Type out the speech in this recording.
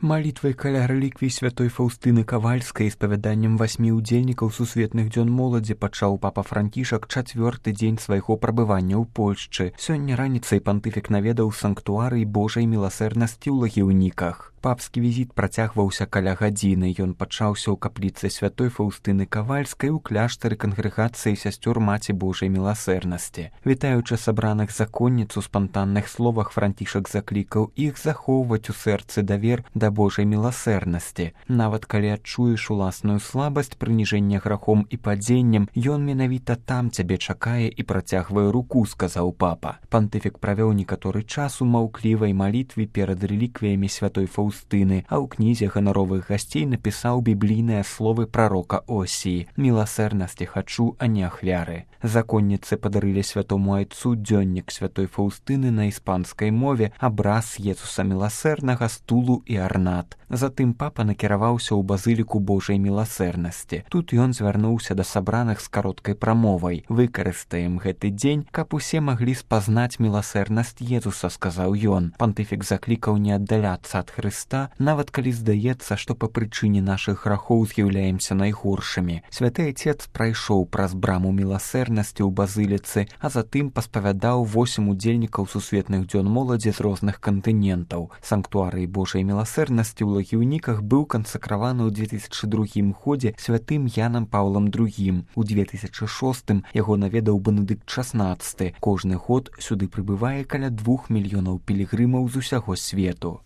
Малітвай каля рэліквій святой Фаўстыны Кавальскай і спавяданнем 8 удзельнікаў сусветных дзён моладзі пачаў папа Францішак 4-ты дзень свайго прабывання ў Польшчы. Сёння раніцай пантыфік наведаў санктуарый Божай міласэрнасці ў Лагіўніках. Папскі візіт працягваўся каля гадзіны. Ён пачаўся ў капліцы святой Фаўстыны Кавальскай у кляштары кангрэгацыі сясцёр Маці Божай міласэрнасці. Вітаючы сабраных законніц у спантанных словах, Францішак заклікаў іх захоўваць у сэрцы давер да Божай міласэрнасці. Нават калі адчуеш уласную слабасць, прыніжэнне грахом і падзеннем, ён менавіта там цябе чакае і працягвае руку, сказаў папа. Пантыфік правёў некаторы час у маўклівай малітве перад рэліквіямі святой Фаўстыны, а ў кнізе ганаровых гасцей напісаў біблійныя словы прарока Осіі: «Міласэрнасці хачу, а не ахвяры». Законніцы падарылі святому айцу дзённік святой Фаўстыны на іспанскай мове, абраз Езуса міласэрнага, стулу і арнат. Затым папа накіраваўся ў базыліку Божай міласэрнасці. Тут ён звярнуўся да сабраных з кароткай прамовай: «Выкарыстаем гэты дзень, каб усе маглі спазнаць міласэрнасць Езуса», сказаў ён. Пантыфік заклікаў не аддаляцца ад Хрыста, нават калі здаецца, што па прычыне нашых грахоў з'яўляемся найгоршымі. Святы Айцец прайшоў праз браму міласэрнасці ў базыліцы, а затым паспавядаў 8 удзельнікаў сусветных дзён моладзі з розных кантынентаў. Санктуарый Божай міласэрнасці ў Лагіўніках быў кансакраваны ў 2002 годзе святым Янам Паўлам II. У 2006 яго наведаў Бенедыкт XVI. Кожны год сюды прыбывае каля 2 мільёнаў пілігрымаў з усяго свету.